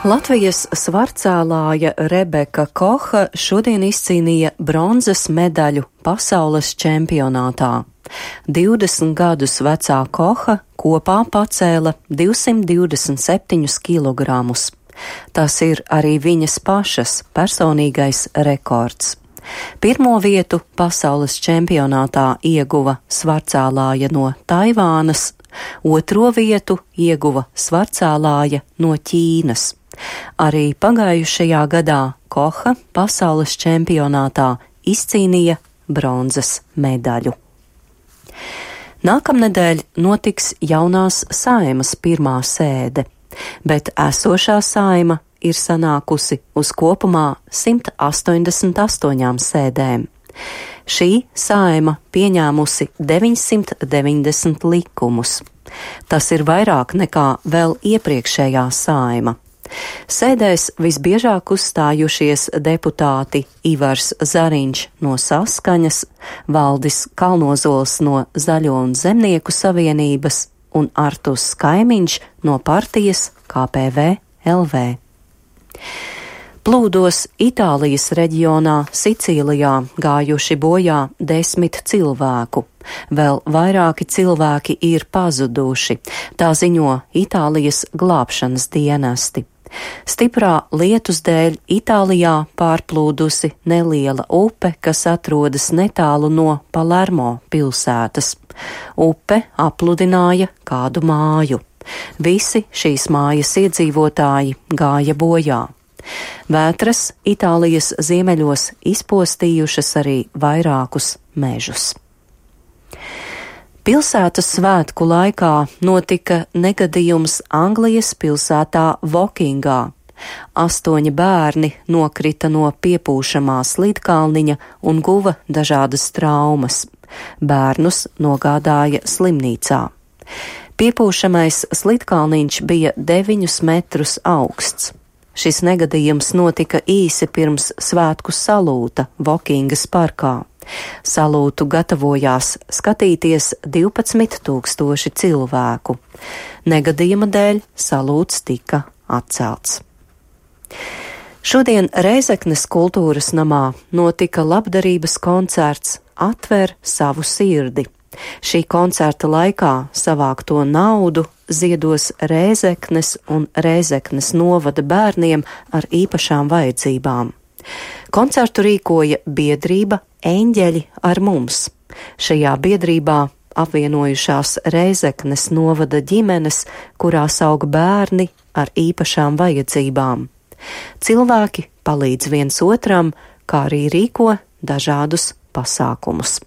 Latvijas svarcēlāja Rebeka Koha šodien izcīnīja bronzas medaļu pasaules čempionātā. 20 gadus vecā Koha kopā pacēla 227 kilogramus. Tas ir arī viņas pašas personīgais rekords. Pirmo vietu pasaules čempionātā ieguva svarcēlāja no Taivānas, otro vietu ieguva svarcēlāja no Ķīnas. Arī pagājušajā gadā Koha pasaules čempionātā izcīnīja bronzas medaļu. Nākamnedēļ notiks jaunās Saeimas pirmā sēde, bet esošā Saeima ir sanākusi uz kopumā 188 sēdēm. Šī Saeima pieņēmusi 990 likumus. Tas ir vairāk nekā vēl iepriekšējā Saeima. Sēdēs visbiežāk uzstājušies deputāti Ivars Zariņš no Saskaņas, Valdis Kalnozols no Zaļo un Zemnieku savienības un Artūrs Kaimiņš no partijas KPV LV. Plūdos Itālijas reģionā Sicīlijā gājuši bojā 10 cilvēku. Vēl vairāki cilvēki ir pazuduši, tā ziņo Itālijas glābšanas dienesti. Stiprā lietus dēļ Itālijā pārplūdusi neliela upe, kas atrodas netālu no Palermo pilsētas. Upe apludināja kādu māju. Visi šīs mājas iedzīvotāji gāja bojā. Vētras Itālijas ziemeļos izpostījušas arī vairākus mežus. Pilsētas svētku laikā notika negadījums Anglijas pilsētā Vokingā. 8 bērni nokrita no piepūšamā slidkalniņa un guva dažādas traumas. Bērnus nogādāja slimnīcā. Piepūšamais slidkalniņš bija 9 metrus augsts. Šis negadījums notika īsi pirms svētku salūta Vokingas parkā. Salūtu gatavojās skatīties 12 000 cilvēku. Negadījuma dēļ salūts tika atcelts. Šodien Rēzeknes kultūras namā notika labdarības koncerts Atver savu sirdi. Šī koncerta laikā savākto naudu ziedos Rēzeknes un Rēzeknes novada bērniem ar īpašām vajadzībām. Koncertu rīkoja biedrība Eņģeļi ar mums. Šajā biedrībā apvienojušās Rēzeknes novada ģimenes, kurās aug bērni ar īpašām vajadzībām. Cilvēki palīdz viens otram, kā arī rīko dažādus pasākumus.